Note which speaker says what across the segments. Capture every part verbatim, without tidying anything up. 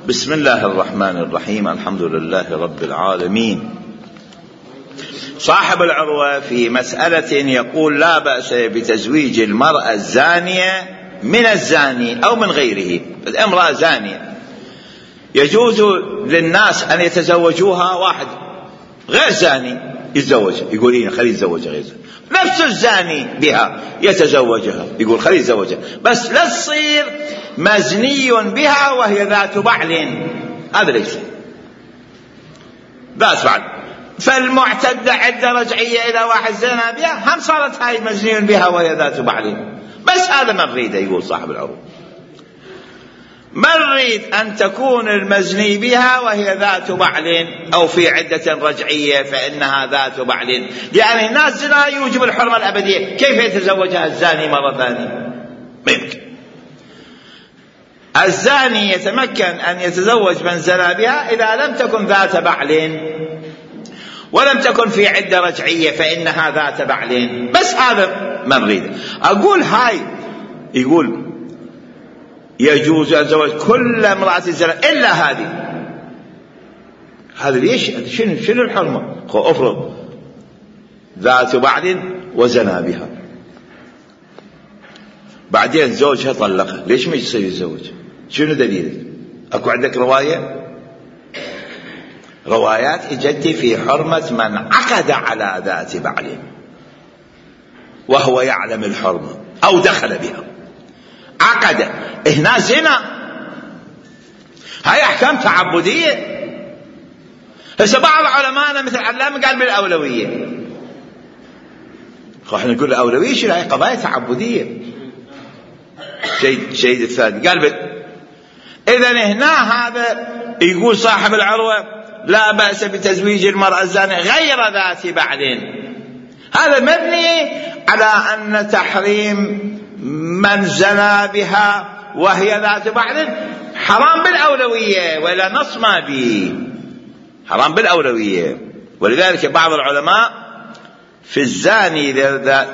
Speaker 1: بسم الله الرحمن الرحيم. الحمد لله رب العالمين. صاحب العروة في مسألة يقول لا بأس بتزويج المرأة الزانية من الزاني أو من غيره. الامرأة زانية يجوز للناس أن يتزوجوها، واحد غير زاني يتزوجها، يقول إيه خلي يتزوجها غير زاني. نفس الزاني بها يتزوجها، يقول خلي يتزوجها، بس لا تصير مزني بها وهي ذات بعل. هذا ليس ذات بعل. فالمعتدة عدة رجعية إلى واحد زنا بها، هم صارت هاي مزني بها وهي ذات بعل. بس هذا ما نريده، يقول صاحب العروة، ما نريد أن تكون المزني بها وهي ذات بعل أو في عدة رجعية فإنها ذات بعل، يعني الناس زنا يوجب الحرمة الأبدية، كيف يتزوجها الزاني مرة ثانية؟ ما يمكن. الزاني يتمكن أن يتزوج من زنا بها إذا لم تكن ذات بعل ولم تكن في عدة رجعية فإنها ذات بعل. بس هذا ما نريده. أقول هاي يقول يجوز الزواج كل امرأة زنا إلا هذه. هذا ليش؟ شنو شنو الحرمة؟ افرض ذات بعل وزنا بها، بعدين زوجها طلقها، ليش ما يصير يتزوج؟ شنو دليلك؟ اكو عندك رواية؟ روايات اجت في حرمة من عقد على ذات بعل وهو يعلم الحرمة او دخل بها، عقد، هنا زنا. هاي احكام تعبدية. هسه بعض علماءنا مثل علامة قال بالاولوية، احنا نقول الاولوية شنو؟ هاي قضايا تعبدية. شيء شيء الثاني قال بل. اذا هنا هذا يقول صاحب العروة لا بأس بتزويج المرأة الزانية غير ذات بعل. هذا مبني على أن تحريم من زنا بها وهي ذات بعل حرام بالأولوية، ولا نص ما به، حرام بالأولوية. ولذلك بعض العلماء في الزاني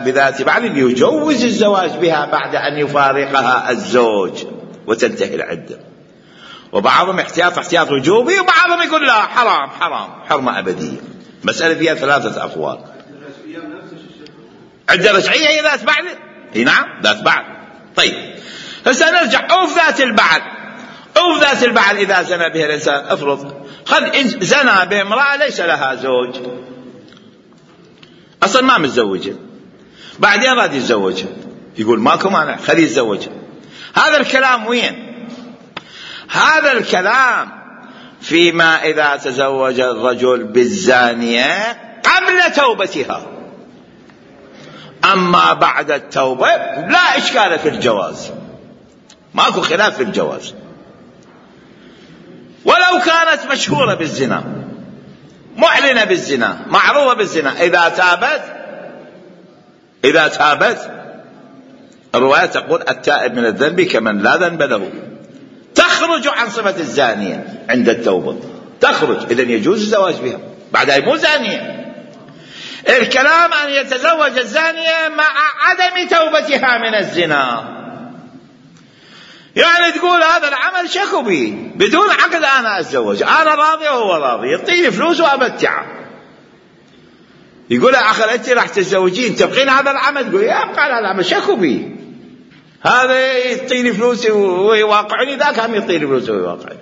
Speaker 1: بذات بعل يجوز الزواج بها بعد أن يفارقها الزوج وتنتهي العدة، وبعضهم احتياط احتياط وجوبي، وبعضهم يقول لا حرام حرام حرمة أبدية. مسألة فيها ثلاثة أقوال. عدة رجعية هي ذات بعل؟ اي نعم ذات بعل. طيب هسه نرجع. أوف ذات البعل، أوف ذات البعل إذا زنى بها الإنسان، افرض خل زنى بامرأة ليس لها زوج، أصلا ما متزوجة، بعدين راد يتزوجها، يقول ماكو مانع خليه يتزوجها. هذا الكلام وين؟ هذا الكلام فيما إذا تزوج الرجل بالزانية قبل توبتها. أما بعد التوبة لا إشكال في الجواز، ماكو خلاف في الجواز، ولو كانت مشهورة بالزنا، معلنة بالزنا، معروفة بالزنا، إذا تابت إذا تابت الرواية تقول التائب من الذنب كمن لا ذنب له، تخرج عن صفة الزانية عند التوبة، تخرج. إذن يجوز الزواج بها، بعدها مو زانية. الكلام أن يتزوج الزانية مع عدم توبتها من الزنا، يعني تقول هذا العمل شكو بي بدون عقد، أنا أتزوج، أنا راضي وهو راضي، يعطيني فلوس وأمتعه. يقول أخي أنت راح تتزوجين تبقين هذا العمل؟ تقول يا أبقى هذا العمل شكو بي، هذا يعطيني فلوس ويواقعني، ذاك هم يعطيني فلوس ويواقعني.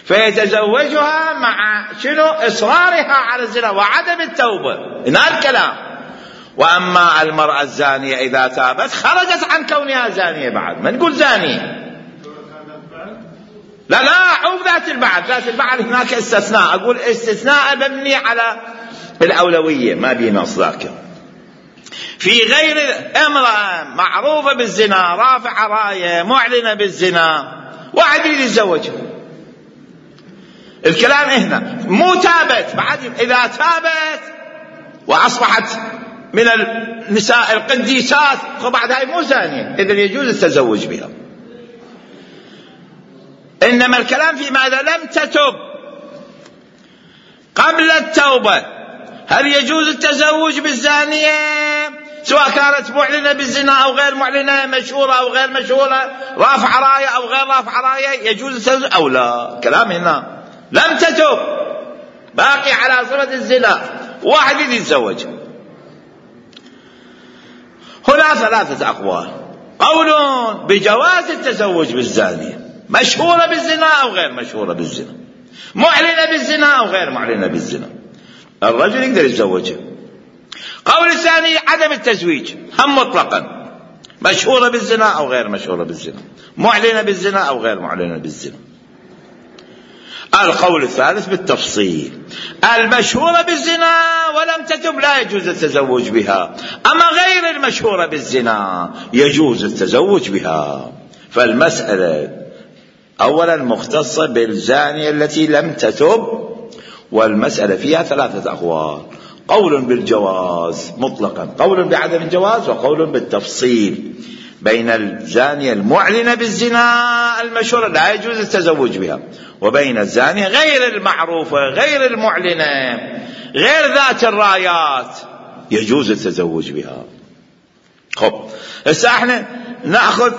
Speaker 1: فيتزوجها مع شنو؟ إصرارها على الزنا وعدم التوبة. هنا الكلام. وأما المرأة الزانية إذا تابت خرجت عن كونها زانية، بعد ما نقول زانية. لا لا عوف ذات البعل، ذات البعل هناك استثناء، أقول استثناء مبني على الأولوية، ما بي نص ذاك. في غير امرأة معروفة بالزنا، رافعة راية، معلنة بالزنا، واحد يتزوجها، الكلام هنا مو تابت، بعد إذا تابت وأصبحت من النساء القديسات فبعد هاي مو زانية، إذن يجوز التزوج بها. إنما الكلام في ماذا لم تتب قبل التوبة، هل يجوز التزوج بالزانية سواء كانت معلنة بالزنا أو غير معلنة، مشهورة أو غير مشهورة، رافع راية أو غير رافع راية، يجوز التزوج أو لا. كلام هنا لم تتب، باقي على صفة الزنا، واحد يتزوج. هنا ثلاثة أقوال: قول بجواز التزوج بالزانية، مشهورة بالزنا أو غير مشهورة بالزنا، معلنة بالزنا أو غير معلنة بالزنا، الرجل يقدر يتزوجها. قول الثاني عدم التزويج، هم مطلقا، مشهورة بالزنا أو غير مشهورة بالزنا، معلنة بالزنا أو غير معلنة بالزنا. القول الثالث بالتفصيل: المشهورة بالزنا ولم تتب لا يجوز التزوج بها، أما غير المشهورة بالزنا يجوز التزوج بها. فالمسألة أولا مختصة بالزانية التي لم تتب، والمسألة فيها ثلاثة أقوال: قول بالجواز مطلقا، قول بعدم الجواز، وقول بالتفصيل بين الزانية المعلنة بالزنا المشهورة لا يجوز التزوج بها، وبين الزانية غير المعروفة غير المعلنة غير ذات الرايات يجوز التزوج بها. خب هسه احنا نأخذ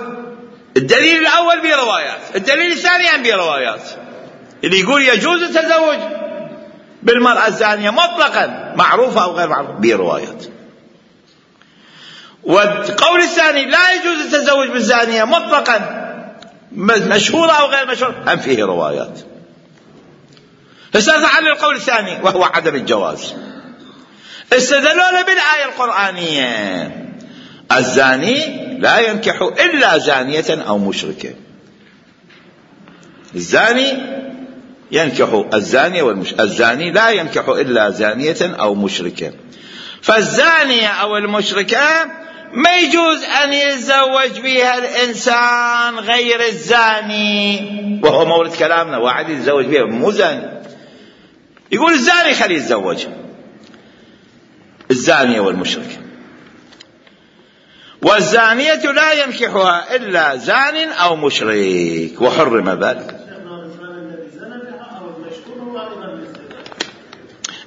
Speaker 1: الدليل الأول بروايات، الدليل الثاني بروايات. اللي يقول يجوز التزوج بالمرأة الزانية مطلقا، معروفة أو غير معروفة، بروايات. والقول الثاني لا يجوز التزوج بالزانية مطلقا، مشهورة أو غير مشهورة، هم فيه روايات. فسألت عن القول الثاني وهو عدم الجواز. استدلوا بالآية القرآنية: الزاني لا ينكح إلا زانية أو مشركة. الزاني ينكح الزانية والمشركة، الزاني لا ينكح إلا زانية أو مشركة. فالزانية أو المشركة ما يجوز أن يتزوج بها الإنسان غير الزاني، وهو مورد كلامنا، واحد يتزوج بها مو زاني، يقول الزاني خليه يتزوج الزانية والمشركة. والزانية لا ينكحها إلا زان أو مشرك، وحرم ذلك.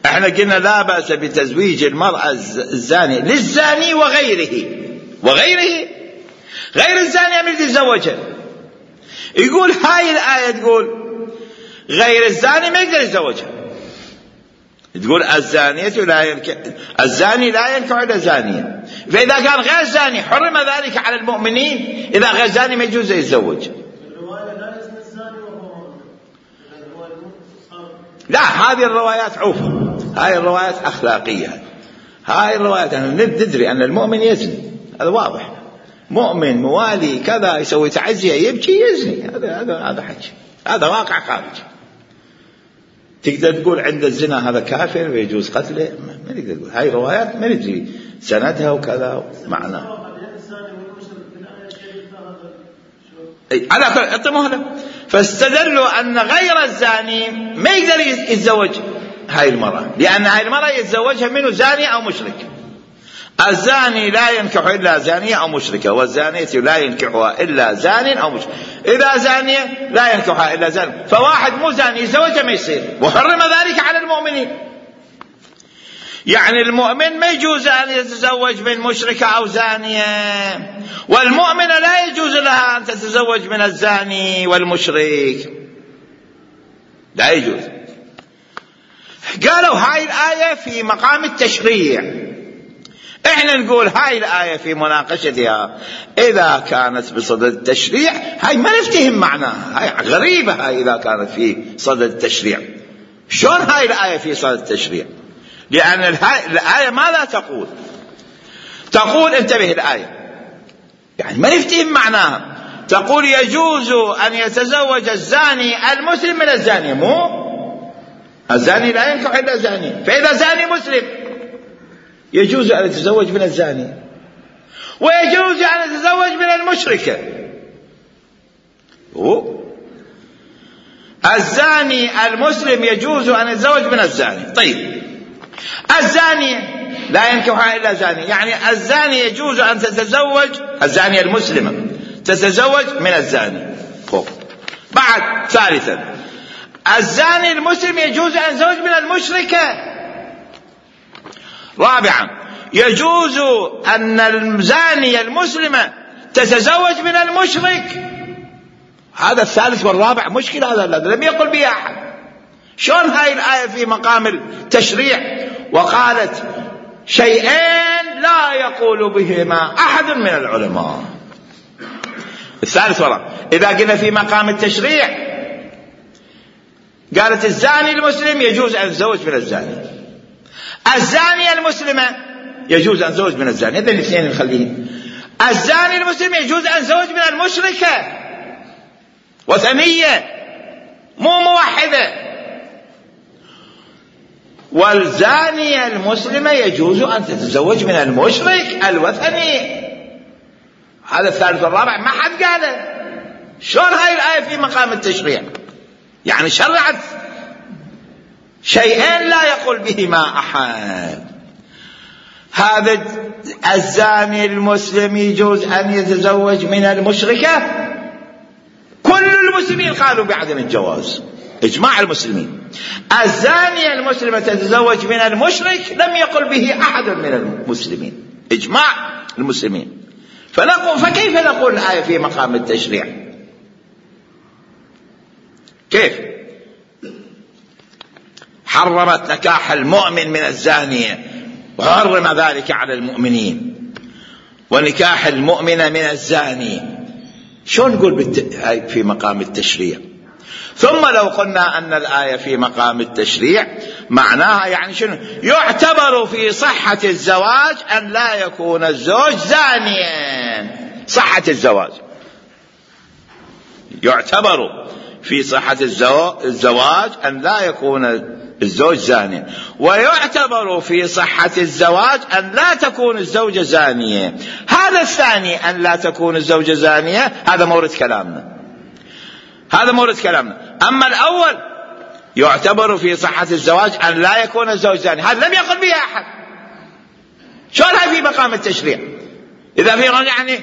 Speaker 1: احنا قلنا لا بأس بتزويج المرأة الزانية للزاني وغيره، وغيره غير الزانية من يتزوجها. يقول هاي الآية تقول غير الزاني ما يقدر يتزوجها، تقول الزانية لا ينكح، الزاني لا ينكح إلا زانية. فإذا كان غير زاني حرم ذلك على المؤمنين، إذا غير زاني ما يجوز يتزوج. لا، هذه الروايات عوفة، هاي الروايات أخلاقية، هاي الروايات أنا ندري أن المؤمن يزني، هذا واضح، مؤمن موالي كذا يسوي تعزية يبكي يزني، هذا هذا هذا حكي، هذا واقع خارجي. تقدر تقول عند الزنا هذا كافر ويجوز قتله؟ ما نقدر نقول، هاي روايات ما ندري سندها وكذا معناه. على كل اعطموها. فاستدلوا أن غير الزاني ما يقدر يتزوج هاي المرأة، لأن هاي المرأة يتزوجها منه زاني أو مشرك. الزاني لا ينكح إلا زانية أو مشركة، والزانية لا ينكحها إلا زان أو مشرك. إذا زانية لا ينكحها إلا زان، فواحد مو زاني يتزوجها ما يصير، وحرم ذلك على المؤمنين. يعني المؤمن ما يجوز أن يتزوج من مشركة أو زانية، والمؤمنة لا يجوز لها أن تتزوج من الزاني والمشرك، لا يجوز. قالوا هاي الآية في مقام التشريع، احنا نقول هاي الآية في مناقشتها إذا كانت بصدد التشريع هاي ما نفتهم معناها، هاي غريبة. هاي إذا كانت في صدد التشريع شلون هاي الآية في صدد التشريع؟ لأن الآية ماذا تقول؟ تقول انتبه الآية يعني ما نفتهم معناها، تقول يجوز أن يتزوج الزاني المسلم من الزانية، مو الزاني لا ينكح إلا زاني. فإذا زاني مسلم يجوز أن يتزوج من الزاني، ويجوز أن يتزوج من المشركة. هو الزاني المسلم يجوز أن يتزوج من الزاني. طيب الزاني لا ينكحها إلا زاني، يعني الزاني يجوز أن تتزوج الزانية المسلمة تتزوج من الزاني. فوق. بعد ثالثا الزاني المسلم يجوز أن يتزوج من المشركة. رابعا يجوز أن الزانية المسلمة تتزوج من المشرك. هذا الثالث والرابع مشكلة، هذا الذي لم يقل به أحد. شلون هاي الآية في مقام التشريع وقالت شيئين لا يقول بهما أحد من العلماء؟ الثالث والرابع إذا قلنا في مقام التشريع قالت الزاني المسلم يجوز أن يتزوج من الزاني، الزانية المسلمة يجوز أن يتزوج من الزاني، هذين الاثنين نخليهم. الزاني المسلم يجوز أن يتزوج من المشركة وثنية مو موحدة، والزانية المسلمة يجوز أن تتزوج من المشرك الوثني. هذا الثالث والرابع ما حد قاله. شلون هاي الآية في مقام التشريع؟ يعني شرعت شيئين لا يقول بهما أحد. هذا الزاني المسلم يجوز أن يتزوج من المشركة، كل المسلمين قالوا بعدم الجواز، إجماع المسلمين. الزانية المسلمة تتزوج من المشرك لم يقل به أحد من المسلمين، إجماع المسلمين. فنقول فكيف نقول الآية في مقام التشريع؟ كيف حرمت نكاح المؤمن من الزانية وحرم ذلك على المؤمنين، ونكاح المؤمن من الزاني؟ شو نقول بالت... في مقام التشريع؟ ثم لو قلنا أن الآية في مقام التشريع معناها يعني شنو؟ يعتبر في صحة الزواج أن لا يكون الزوج زانيا. صحة الزواج يعتبر في صحة الزواج أن لا يكون الزوج زانيا، ويعتبر في صحة الزواج أن لا تكون الزوجة زانية. هذا الثاني أن لا تكون الزوجة زانية هذا مورد كلامنا، هذا مورد كلامنا. أما الأول يعتبر في صحة الزواج أن لا يكون الزوج زاني، هذا لم يقل به أحد. شلون هاي في مقام التشريع؟ إذا في يعني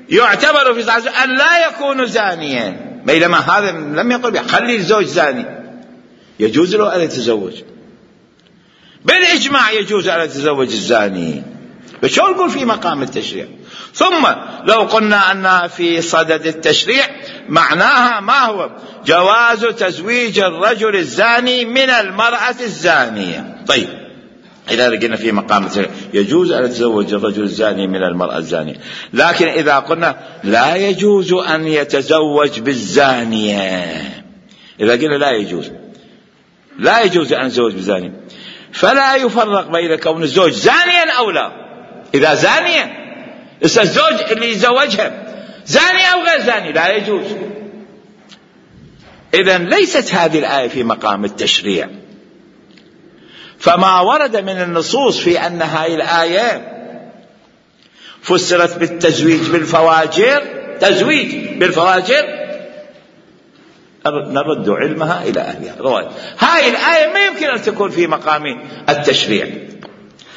Speaker 1: يعتبر في صحة الزواج أن لا يكون زانيا، بينما هذا لم يقل به. خلي الزوج زاني يجوز له أن يتزوج، بالإجماع يجوز أن يتزوج الزاني، فشو نقول في مقام التشريع؟ ثم لو قلنا أنها في صدد التشريع معناها ما هو؟ جواز تزويج الرجل الزاني من المرأة الزانية. طيب إذا لقينا في مقام التشريع يجوز أن يتزوج الرجل الزاني من المرأة الزانية، لكن إذا قلنا لا يجوز أن يتزوج بالزانية، إذا قلنا لا يجوز لا يجوز أن يتزوج بالزانية، فلا يفرق بين كون الزوج زانيا أو لا. إذا زانية الزوج اللي يزوجها زاني أو غير زاني لا يجوز. إذن ليست هذه الآية في مقام التشريع. فما ورد من النصوص في أن هذه الآية فسرت بالتزويج بالفواجر، تزويج بالفواجر، نرد علمها إلى أهلها. رواية هاي الآية ما يمكن أن تكون في مقام التشريع.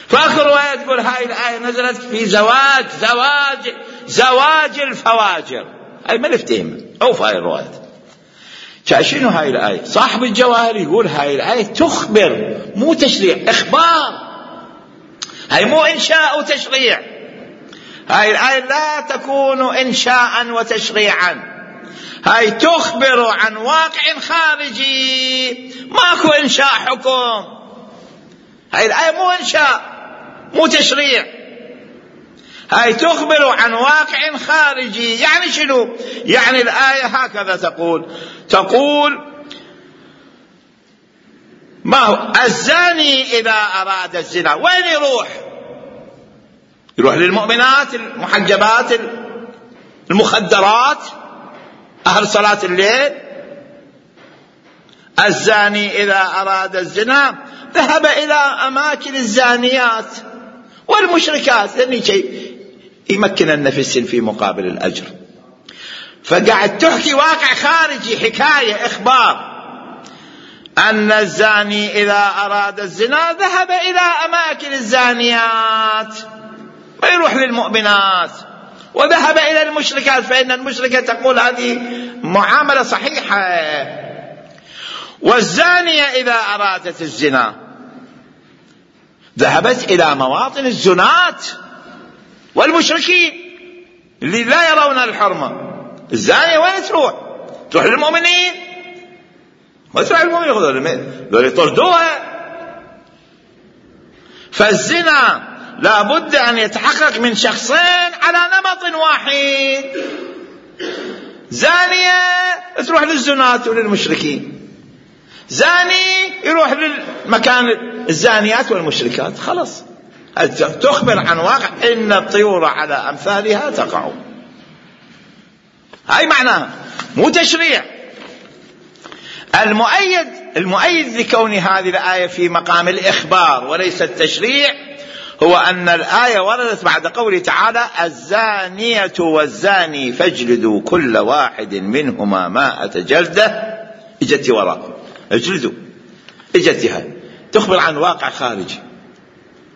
Speaker 1: فآخر رواية تقول هاي الآية نزلت في زواج زواج زواج الفواجر. أي ما نفتهم أو في هاي الرواية. شنو هاي الآية؟ صاحب الجواهر يقول هاي الآية تخبر مو تشريع، إخبار. هاي مو إنشاء وتشريع، هاي الآية لا تكون إنشاء وتشريعا، هاي تخبر عن واقع خارجي، ماكو إنشاء حكم. هاي الآية مو إنشاء مو تشريع، هاي تخبر عن واقع خارجي. يعني شنو؟ يعني الآية هكذا تقول تقول ما هو الزاني إذا أراد الزنا وين يروح؟ يروح للمؤمنات المحجبات المخدرات أهل صلاة الليل. الزاني إذا أراد الزنا ذهب إلى أماكن الزانيات والمشركات، لأنه شيء يمكن النفس في مقابل الأجر. فقاعد تحكي واقع خارجي، حكاية إخبار أن الزاني إذا أراد الزنا ذهب إلى أماكن الزانيات، ما يروح للمؤمنات. وذهب إلى المشركات، فإن المشركة تقول هذه معاملة صحيحة. والزانية إذا أرادت الزنا ذهبت إلى مواطن الزنات والمشركين اللي لا يرون الحرمة. الزانية وين تروح؟ تروح للمؤمنين؟ ما تروح للمؤمنين، ذول يطردوها. فالزنا لا بد أن يتحقق من شخصين على نمط واحد. زانية تروح للزنات وللمشركين، زاني يروح للمكان الزانيات والمشركات. خلص تخبر عن واقع إن الطيور على أمثالها تقع. هاي معناها، مو تشريع. المؤيد المؤيد لكون هذه الآية في مقام الإخبار وليس التشريع هو أن الآية وردت بعد قوله تعالى: الزانية والزاني فاجلدوا كل واحد منهما مائة جلدة. اجت وراء اجلدوا، اجتها تخبر عن واقع خارجي.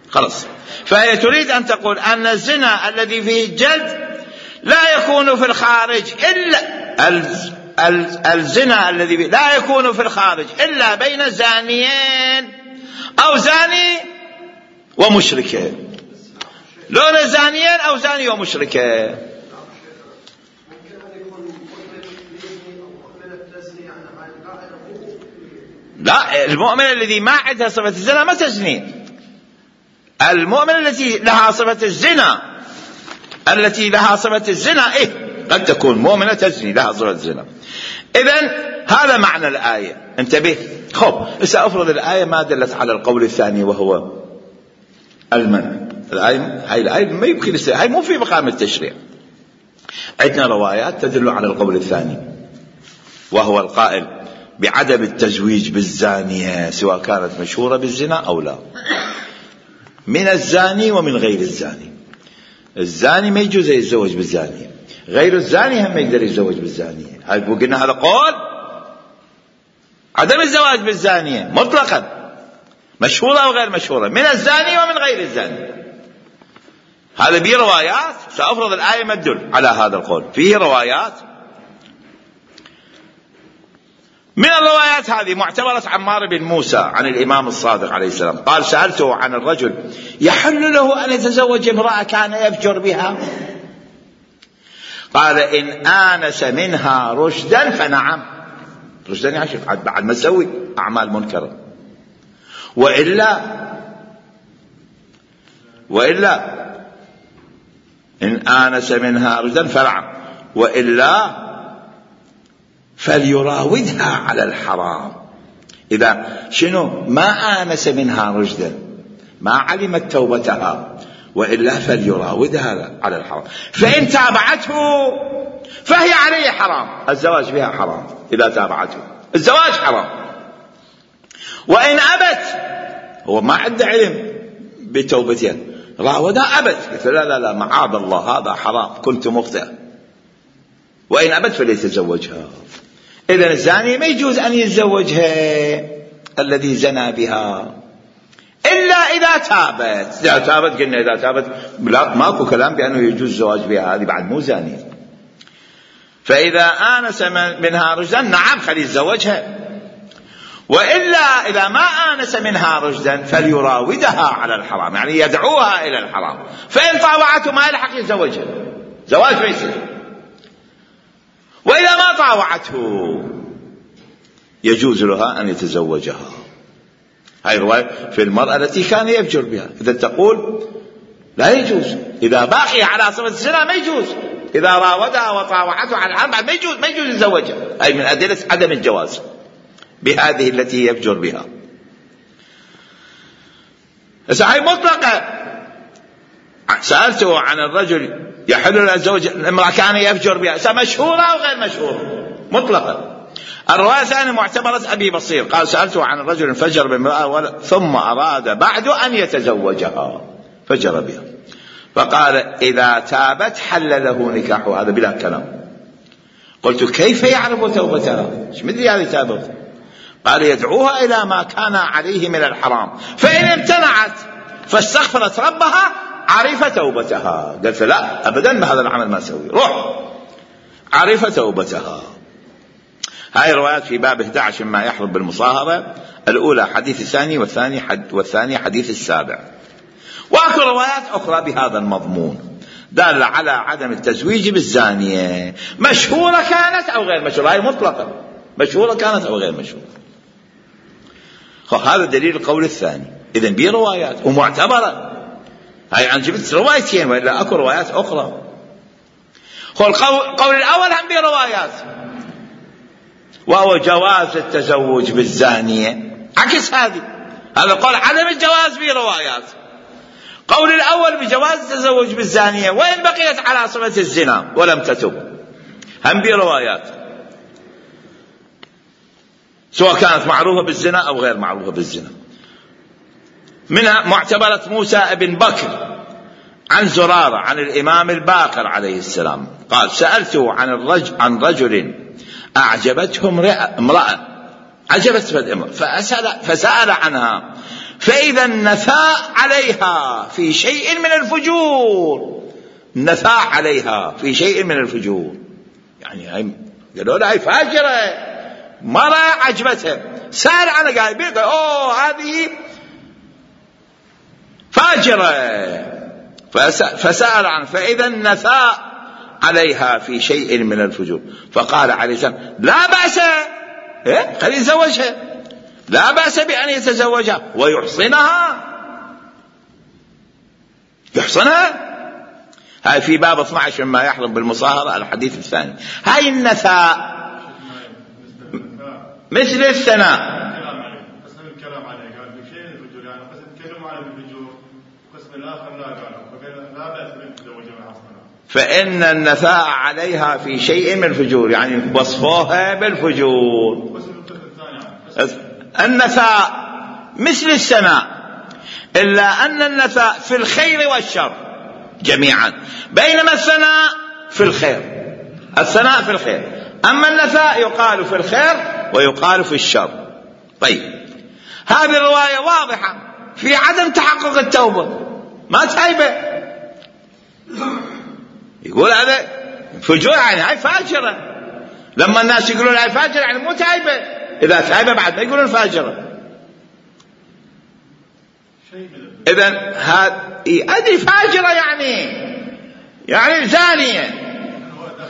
Speaker 1: خلاص، فهي تريد أن تقول أن الزنا الذي فيه الجلد لا يكون في الخارج إلا الزنا الذي لا يكون في الخارج إلا بين زانيين أو زاني ومشركة، لون زانيين أو زاني ومشركة. لا، المؤمن الذي ما عندها صفة الزنا ما تزني. المؤمن التي لها صفة الزنا التي لها صفة الزنا إيه قد تكون مؤمنة تزني لها صفة الزنا. إذن هذا معنى الآية. انتبه. خب سأفرض الآية ما دلت على القول الثاني وهو المنع. الآية هاي الآية ما يمكن يصير، هاي مو في مقام التشريع. عندنا روايات تدل على القول الثاني وهو القائل بعدم التزويج بالزانية سواء كانت مشهورة بالزنا أو لا، من الزاني ومن غير الزاني. الزاني ما يجوز يتزوج بالزانية، غير الزاني هم ما يقدر يتزوج بالزانية. هاي قلنا هذا قول عدم الزواج بالزانية مطلقا، مشهورة أو غير مشهورة، من الزاني ومن غير الزاني. هذا به روايات. سأفرض الآية ما تدل على هذا القول. فيه روايات، من الروايات هذه معتبرة عمار بن موسى عن الإمام الصادق عليه السلام قال: سألته عن الرجل يحل له أن يتزوج امرأة كان يفجر بها، قال: إن آنس منها رشدا فنعم. رشدا يعني بعد ما تسوي أعمال منكرة، وإلا وإلا إن آنس منها رشدا فنعم، وإلا فليراودها على الحرام. إذا شنو ما آنس منها رشدا، ما علمت توبتها، وإلا فليراودها على الحرام. فإن تابعته فهي عليه حرام، الزواج بها حرام. إذا تابعته الزواج حرام. وإن أبت، هو ما عنده علم بتوبتها، راودها أبت، قلت لا لا لا معاذ الله هذا حرام، كنت مخطئ. وإن أبت فليتزوجها. إذن الزاني ما يجوز أن يتزوجها الذي زنى بها إلا إذا تابت. إذا تابت قلنا إذا تابت لا ماكو كلام بأنه يجوز الزواج بها، هذه بعد مو زانية. فإذا آنس منها رشدا نعم خلي يتزوجها، وإلا إذا ما آنس منها رشدا فليراودها على الحرام، يعني يدعوها إلى الحرام. فإن طاوعته ما يلحق يتزوجها، زواج ما يصير. وإذا ما طاوعته يجوز لها أن يتزوجها. هاي رواية في المرأة التي كان يفجر بها. إذا تقول لا يجوز، إذا باقي على صفة الزنا ما يجوز، إذا راودها وطاوعته على الحرام ما يجوز ما يجوز يتزوجها. هاي من أدلة عدم الجواز بهذه التي يفجر بها. هاي مطلقة. سألته عن الرجل يحل له الزوج امرأة كان يفجر بها، مشهورة أو غير مشهورة؟ مطلقا. الرواية الثانية معتبرة أبي بصير قال: سألته عن الرجل فجر بامرأة ثم أراد بعد أن يتزوجها فجر بها، فقال: إذا تابت حل له نكاحه. هذا بلا كلام. قلت: كيف يعرف توبتها؟ ايش مدري هذه تابت؟ قال: يدعوها إلى ما كان عليه من الحرام، فإن امتنعت فاستغفرت ربها عرف توبتها. قلت: لا أبدا بهذا العمل ما أسوي، روح عرف توبتها. هاي الروايات في باب إحدى عشر ما يحرم بالمصاهرة الأولى حديث الثاني والثاني حد والثاني حديث السابع. وأكو روايات أخرى بهذا المضمون دالة على عدم التزويج بالزانية، مشهورة كانت أو غير مشهورة، هاي مطلقة، مشهورة كانت أو غير مشهورة. هذا دليل القول الثاني. إذن بيه روايات ومعتبرة. هاي عن جبت روايتين وإلا أكو روايات أخرى. القول الأول هم بيه روايات، وهو جواز التزوج بالزانية. عكس هذه، هذا قول عدم الجواز بيه روايات. قول الأول بجواز التزوج بالزانية وإن بقيت على صفة الزنا ولم تتب، هم بيه روايات، سواء كانت معروفة بالزنا أو غير معروفة بالزنا. منها معتبرة موسى بن بكر عن زرارة عن الإمام الباقر عليه السلام قال: سألته عن الرجل عن رجل أعجبته امرأة، عجبت الامرأة فأسأل, فسأل عنها فإذا النثاء عليها في شيء من الفجور، النثاء عليها في شيء من الفجور، يعني هاي قالوا لها هاي فاجرة، مرة عجبتها، سأل عنها قال بيقول أوه هذه فاجرة، فسأل عنها فإذا النثاء عليها في شيء من الفجور، فقال عليه السلام: لا بأس، إيه؟ خلي يتزوجها، لا بأس بأن يتزوجها ويحصنها، يحصنها. هاي في باب اثني عشر مما يحرم بالمصاهرة الحديث الثاني. هاي النثاء مثل الثناء، فإن النثاء عليها في شيء من الفجور، يعني وصفوها بالفجور. النثاء مثل الثناء، إلا أن النثاء في الخير والشر جميعا، بينما الثناء في الخير، الثناء في الخير، أما النثاء يقال في الخير ويقال في الشر. طيب، هذه الرواية واضحة في عدم تحقق التوبة، ما تايبة، يقول هذا فجور، يعني هاي فاجرة. لما الناس يقولون هاي فاجرة يعني مو تايبة، إذا تايبة بعد ما يقولون فاجرة. إذن هذه فاجرة يعني يعني زانية،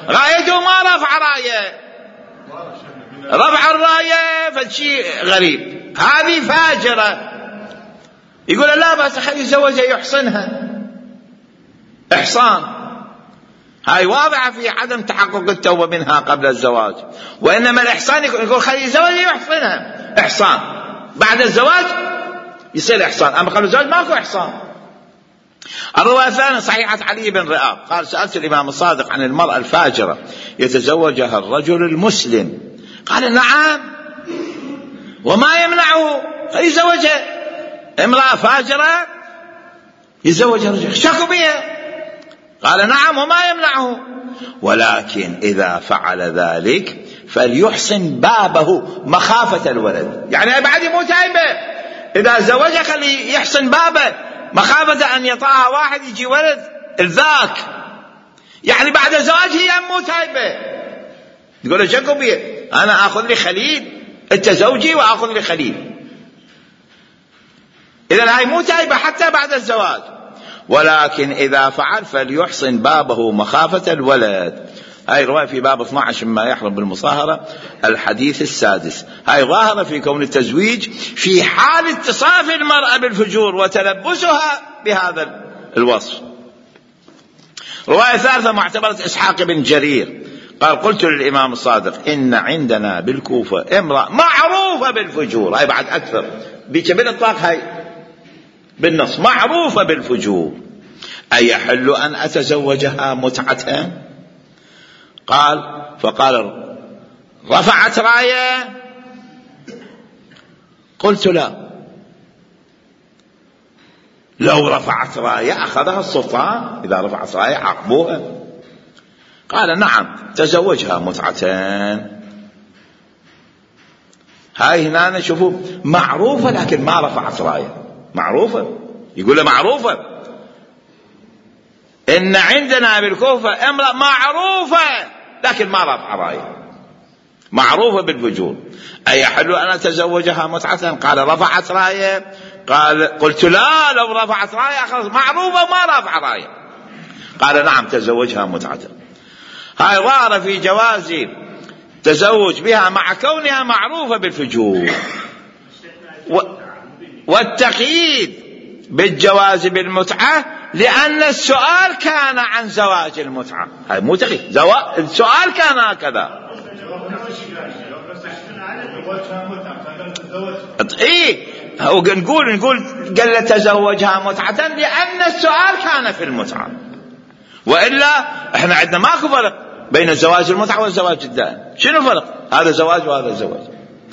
Speaker 1: رايته ما رفع راية، رفع الراية فشي غريب، هذه فاجرة. يقول لا بس خلي يتزوجها يحصنها، إحصان. هاي واضحة في عدم تحقق التوبة منها قبل الزواج، وإنما الإحصان يقول خلي يتزوجها يحصنها، إحصان. بعد الزواج يصير إحصان، أما قبل الزواج ماكو إحصان. الرواية الثانية صحيحة علي بن رئاب قال: سألت الإمام الصادق عن المرأة الفاجرة يتزوجها الرجل المسلم، قال: نعم، وما يمنعه يتزوجها، امرأة فاجرة يتزوجها رجل، شكوا بها، قال: نعم، وما يمنعه، ولكن إذا فعل ذلك فليحسن بابه مخافة الولد. يعني بعد مو تايبة، إذا زوجها خلي يحسن بابه مخافة أن يطاها واحد يجي ولد الذاك، يعني بعد الزواج هي مو تايبة. يقول له شكوا بيه، أنا أخذ لي خليل، أنت زوجي وأخذ لي خليل. إذن هاي مو تايبة حتى بعد الزواج، ولكن إذا فعل فليحسن بابه مخافة الولد. هاي رواية في باب اثني عشر مما يحرم بالمصاهرة الحديث السادس. هاي ظاهرة في كون التزويج في حال اتصاف المرأة بالفجور وتلبسها بهذا الوصف. رواية ثالثة معتبرة إسحاق بن جرير قال: قلت للإمام الصادق: إن عندنا بالكوفة امرأة معروفة بالفجور. هاي بعد أكثر بيكمل الطاق، هاي بالنص معروفة بالفجور، أيحل أن أتزوجها متعة؟ قال فقال: رفعت راية؟ قلت: لا، لو رفعت راية أخذها السلطان، إذا رفعت راية عاقبوها. قال: نعم، تزوجها متعتين. هاي هنا نشوفوا معروفة لكن ما رفعت راية، معروفة، يقول له معروفة. إن عندنا بالكوفة امرأة معروفة لكن ما رفع راية. معروفة بالفجور. أيحل أن أتزوجها متعة؟ قال رفعت راية. قال قلت لا، لو رفعت راية خلاص معروفة ما رفع راية. قال نعم تزوجها متعة. هاي ظاهرة في جواز تزوج بها مع كونها معروفة بالفجور. و... والتقييد بالجواز بالمتعة لأن السؤال كان عن زواج المتعة. هاي مو تقييد، زوا... السؤال كان هكذا. إيه نقول نقول قال تزوجها متعة لأن السؤال كان في المتعة، وإلا إحنا عندنا ماكو فرق بين الزواج المتعة والزواج الدائم. شنو فرق؟ هذا زواج وهذا زواج،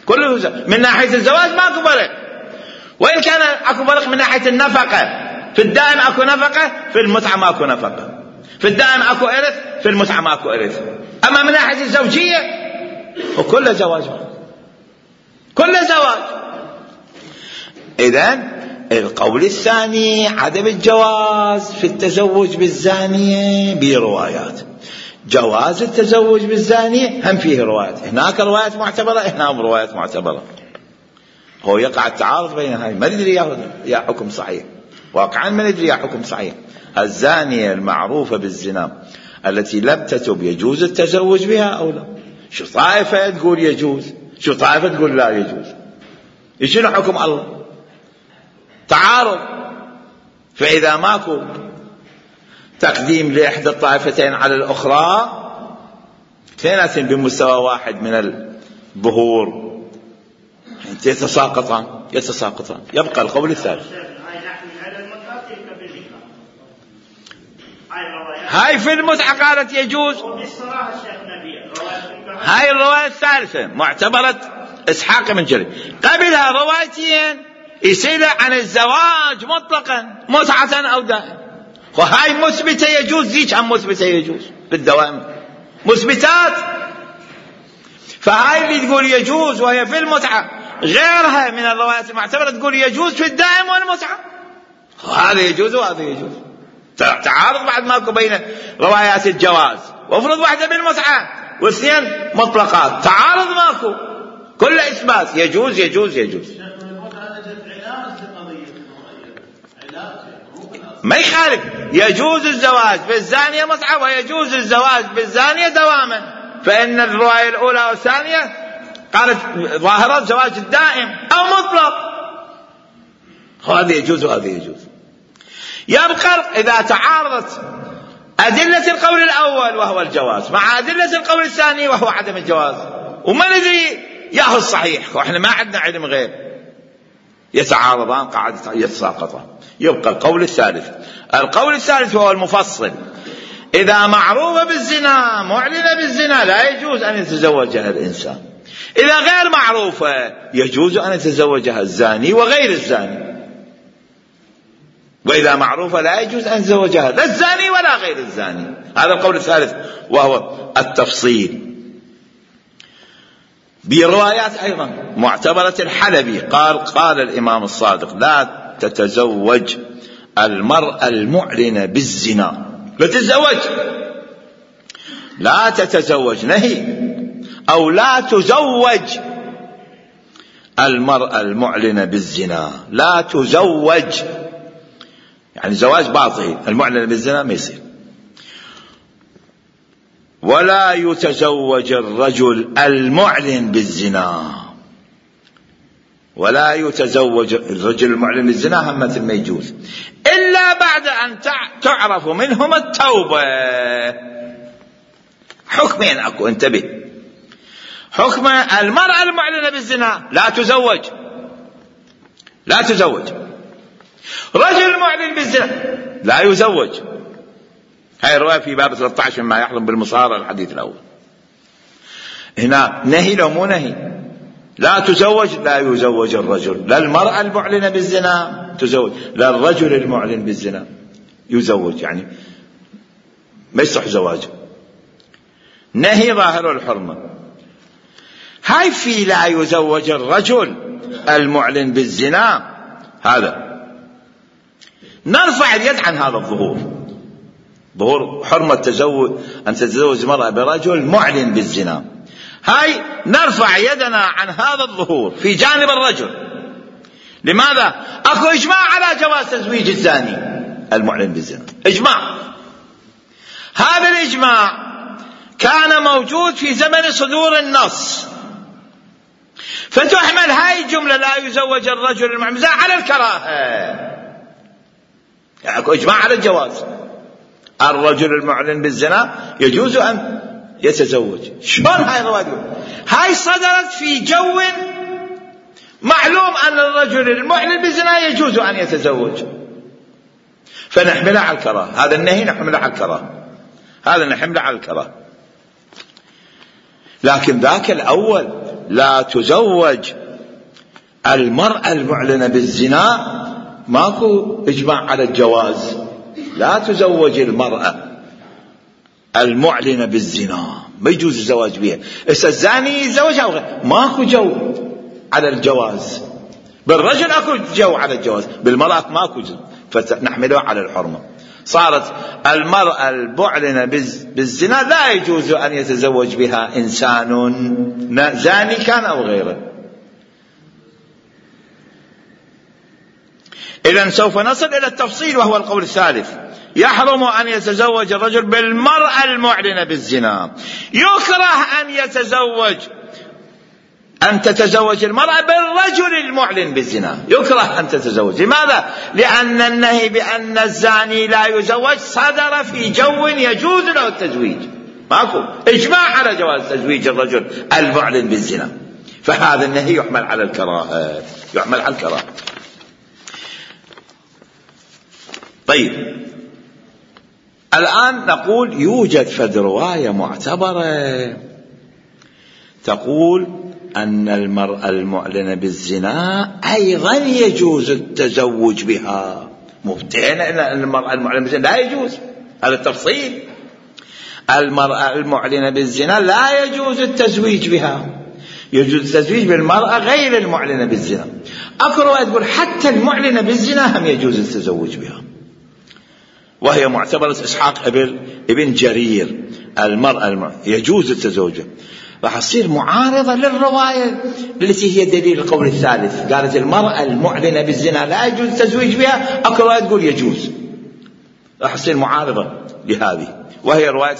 Speaker 1: كله زواج. من ناحية الزواج ماكو فرق، وإن كان أكو فرق من ناحية النفقة. في الدائم أكو نفقة، في المتعة ماكو نفقة. في الدائم أكو إرث، في المتعة ماكو إرث. أما من ناحية الزوجية وكل زواج كل زواج. إذن القول الثاني عدم الجواز في التزوج بالزانية بروايات. جواز التزوج بالزانية هم فيه روايات، هناك روايات معتبرة، هنا روايات معتبرة. هو يقع التعارض بين هاي، ما ندري يا حكم صحيح، واقعا ما ندري يا حكم صحيح. الزانية المعروفة بالزنا التي لم تتب يجوز التزوج بها أو لا؟ شو طائفة تقول يجوز، شو طائفة تقول لا يجوز. شنو حكم الله؟ تعارض. فإذا ماكو تقديم لإحدى الطائفتين على الأخرى، اثنين بمستوى واحد من الظهور يتساقطان يتساقطان يبقى القول الثالث. هاي في المتعة قالت يجوز. هاي الرواية الثالثة معتبرة إسحاق بن جرير. قبلها روايتين يسأل عن الزواج مطلقا متعة أو دائم، وهاي مثبتة يجوز، ذيك هم مثبتة يجوز بالدوام مثبتات. فهاي اللي تقول يجوز وهي في المتعة، غيرها من الروايات المعتبرة تقول يجوز في الدائم والمتعة. هذا يجوز وهذا يجوز. تعارض بعد ماكو بين روايات الجواز، وافرض واحدة بالمتعة واثنين مطلقات، تعارض ماكو، كل إثبات يجوز يجوز يجوز. ما يخالف، يجوز الزواج بالزانية متعة ويجوز الزواج بالزانية دواما. فإن الرواية الأولى والثانية قالت ظاهرة زواج الدائم أو مطلق، هذا يجوز وهذا يجوز. يبقى إذا تعارضت أدلة القول الأول وهو الجواز مع أدلة القول الثاني وهو عدم الجواز، وما ندري ياهو الصحيح، وإحنا ما عندنا علم غير، يتعارضان قاعد يتساقطان. يبقى القول الثالث. القول الثالث هو المفصل. إذا معروفة بالزنا معلنة بالزنا لا يجوز أن يتزوجها الإنسان. إذا غير معروفة يجوز أن يتزوجها الزاني وغير الزاني. وإذا معروفة لا يجوز أن يتزوجها لا الزاني ولا غير الزاني. هذا القول الثالث وهو التفصيل. بروايات أيضا معتبرة الحلبي قال قال الإمام الصادق لا تتزوج المرأة المعلنة بالزنا، لا تتزوج، لا تتزوج نهي، أو لا تزوج المرأة المعلنة بالزنا، لا تزوج يعني زواج باطل، المعلنة بالزنا ما يصير. ولا يتزوج الرجل المعلن بالزنا، ولا يتزوج الرجل المعلن بالزنا هم مثل ما يجوز، إلا بعد أن تعرف منهم التوبة. حكمين أكو، انتبه. حكم المرأة المعلنة بالزنا لا تزوج، لا تزوج. رجل معلن بالزنا لا يزوج. هاي الرواية في باب ثلاثة عشر مما يحرم بالمصارى الحديث الأول. هنا نهي لو مو نهي، لا تزوج، لا يزوج الرجل، لا المرأة المعلنة بالزنا تزوج، لا الرجل المعلن بالزنا يزوج، يعني ما يصح زواجه. نهي ظاهر الحرمة. هاي في لا يزوج الرجل المعلن بالزنا، هذا نرفع اليد عن هذا الظهور، ظهور حرمة تزوج أن تتزوج مرأة برجل معلن بالزنا. هاي نرفع يدنا عن هذا الظهور في جانب الرجل. لماذا؟ اكو اجماع على جواز تزويج الزاني المعلن بالزنا، اجماع. هذا الاجماع كان موجود في زمن صدور النص، فتحمل هاي الجملة لا يزوج الرجل المعلن بالزنا على الكراهة. يعني اكو اجماع على الجواز، الرجل المعلن بالزنا يجوز ان يتزوج. شلون هاي الرواية؟ هاي صدرت في جو معلوم ان الرجل المعلن بالزنا يجوز ان يتزوج، فنحملها على الكراهة. هذا النهي نحمله على الكراهة، هذا نحمله على الكراهة. لكن ذاك الأول لا تزوج المرأة المعلنة بالزنا ماكو إجماع على الجواز، لا تزوج المرأة المعلنة بالزنا، ما يجوز الزواج بها. إذا الزاني يتزوجها ماكو جو على الجواز. بالرجل اكو جو على الجواز، بالمرأة ماكو جو، فنحملها على الحرمة. صارت المرأة المعلنة بالزنا لا يجوز أن يتزوج بها إنسان زاني كان أو غيره. إذن سوف نصل إلى التفصيل، وهو القول الثالث: يحرم أن يتزوج الرجل بالمرأة المعلنة بالزنا. يكره أن يتزوج أن تتزوج المرأة بالرجل المعلن بالزنا، يكره أن تتزوج. لماذا؟ لأن النهي بأن الزاني لا يزوج صدر في جو يجوز له التزويج، ماكو إجماع على جواز تزويج الرجل المعلن بالزنا، فهذا النهي يحمل على الكراهة، يحمل على الكراهة. طيب، الآن نقول يوجد فد رواية معتبرة تقول أن المرأة المعلنة بالزنا أيضا يجوز التزوج بها. مبتئنا أن المرأة المعلنة بالزنا لا يجوز، هذا التفصيل. المرأة المعلنة بالزنا لا يجوز التزويج بها، يجوز التزويج بالمرأة غير المعلنة بالزنا. أكو رواية تقول حتى المعلنة بالزنا هم يجوز التزوج بها، وهي معتبرة إسحاق ابن جرير. المرأة المعلنة يجوز التزوج بها، راح تصير معارضة للرواية التي هي دليل القول الثالث. قالت المرأة المعلنة بالزنا لا يجوز التزويج بها، أكو رواية تقول يجوز، راح تصير معارضة لهذه، وهي رواية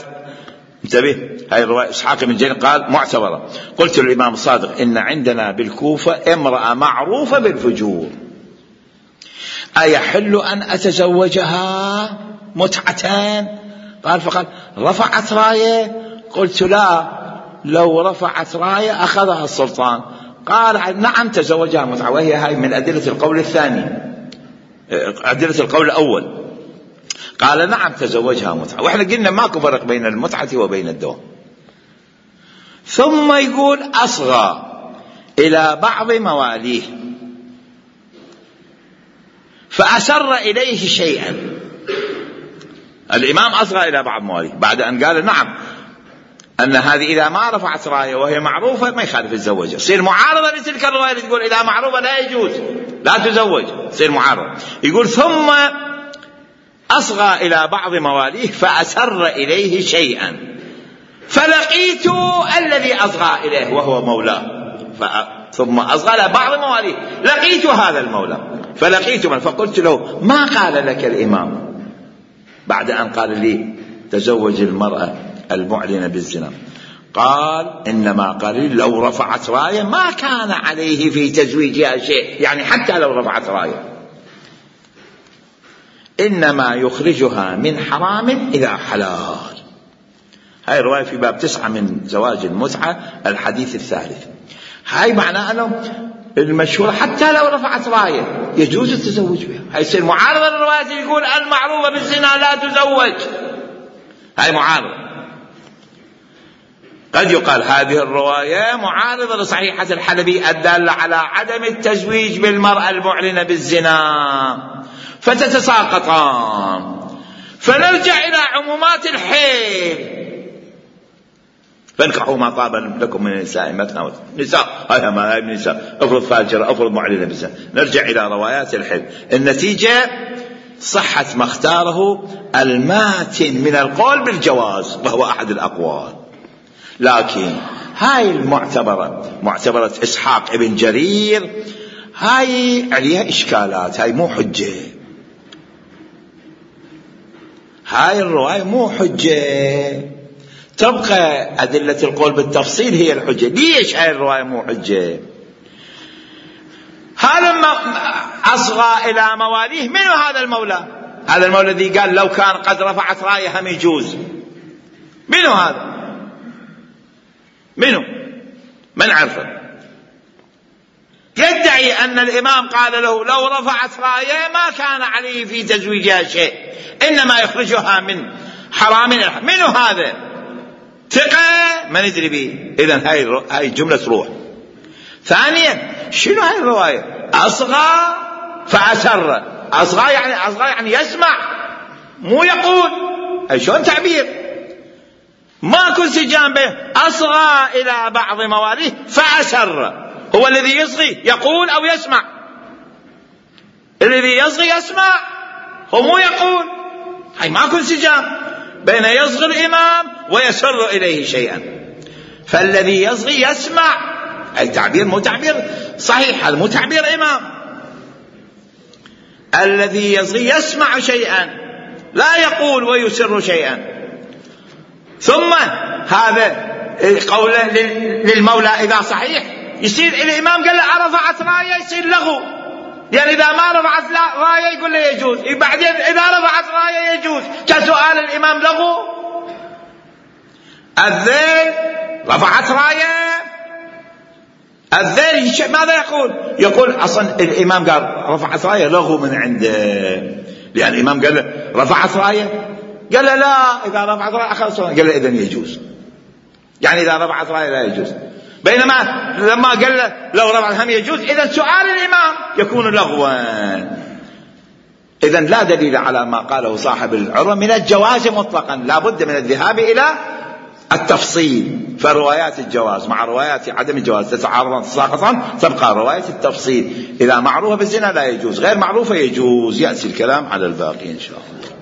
Speaker 1: انتبه، هاي الرواية إسحاق بن جرير قال معتبرة. قلت للإمام الصادق: إن عندنا بالكوفة امرأة معروفة بالفجور، أيحل أن أتزوجها متعتان؟ قال فقال: رفعت راية؟ قلت: لا، لو رفعت راية أخذها السلطان. قال: نعم تزوجها متعة، وهي هاي من أدلة القول الثاني، أدلة القول الأول. قال: نعم تزوجها متعة. وإحنا قلنا ماكو فرق بين المتعة وبين الدوام. ثم يقول: أصغى إلى بعض مواليه فأسر إليه شيئا. الإمام أصغى إلى بعض مواليه بعد أن قال نعم أن هذه إذا ما رفعت راية وهي معروفة ما يخالف الزوجة، يصير معارضة لتلك الرواية اللي تقول إذا معروفة لا يجوز لا تزوج، يصير معارضة. يقول: ثم أصغى إلى بعض مواليه فأسر إليه شيئا فلقيت الذي أصغى إليه وهو مولاه. ثم أصغى إلى بعض مواليه، لقيت هذا المولى فلقيت من فقلت له: ما قال لك الإمام بعد أن قال لي تزوج المرأة المعلنة بالزنا؟ قال: إنما قال لي لو رفعت راية ما كان عليه في تزويجها شيء، يعني حتى لو رفعت راية، إنما يخرجها من حرام إلى حلال. هاي الرواية في باب تسعة من زواج المتعة الحديث الثالث. هاي معناه أنه المشهور حتى لو رفعت راية يجوز التزوج بها. هاي يصير معارضة للرواية اللي يقول المعروفة بالزنا لا تزوج، هاي معارضة. قد يقال هذه الرواية معارضة لصحيحة الحلبي الدالة على عدم التزويج بالمرأة المعلنة بالزنا، فتتساقطان، فنرجع إلى عمومات الحيل: فانكحوا ما طاب لكم من النساء مثنى نساء، هاي ما هاي النساء، افرض فاجرة افرض معلنة بالزنا. نرجع إلى روايات الحيل. النتيجة صحة ما اختاره الماتن من القول بالجواز، وهو أحد الأقوال. لكن هاي المعتبرة معتبرة إسحاق ابن جرير هاي عليها إشكالات، هاي مو حجة، هاي الرواية مو حجة، تبقى أدلة القول بالتفصيل هي الحجة. ليش هاي الرواية مو حجة؟ هذا أصغى إلى مواليه. منو هذا المولى؟ هذا المولى الذي قال لو كان قد رفعت راية هم يجوز. منو هذا؟ منو؟ من عرفه؟ يدعي أن الإمام قال له لو رفعت راية ما كان عليه في تزويجها شيء، إنما يخرجها من حرام. منو هذا؟ ثقة ما ندري به. إذن هاي هاي جملة روح. ثانيا شنو هاي الرواية؟ أصغى فأسر. أصغى يعني أصغى يعني يسمع مو يقول. أي شلون تعبير؟ ماكو انسجام بين أصغى إلى بعض مواليه فأسر. هو الذي يصغي يقول أو يسمع؟ الذي يصغي يسمع، هو مو يقول. هاي ماكو انسجام بين يصغي الإمام ويسر إليه شيئا. فالذي يصغي يسمع، أي تعبير مو تعبير صحيح، هذا مو تعبير إمام. الذي يصغي يسمع شيئا لا يقول ويسر شيئا. ثم هذا قوله للمولى إذا صحيح يصير الإمام قال له رفعت راية يصير لغو، يعني إذا ما رفعت راية يقول له يجوز، بعدين إذا رفعت راية يجوز. كسؤال الإمام لغو. الذيل رفعت راية، الذيل ماذا يقول؟ يقول أصلا الإمام قال رفعت راية لغو من عنده، لأن الإمام قال له رفعت راية، قال له لا إذا رفعت راية خلاص، قال له إذن يجوز، يعني إذا رفعت راية لا يجوز. بينما لما قال له لو رفعت هم يجوز، إذن سؤال الإمام يكون لغوا. إذن لا دليل على ما قاله صاحب العروة من الجواز مطلقا، لا بد من الذهاب إلى التفصيل. فروايات الجواز مع روايات عدم الجواز تتعارضان تساقطان، تبقى رواية التفصيل. إذا معروفة بالزنا لا يجوز، غير معروفة يجوز. يأتي الكلام على الباقي إن شاء الله.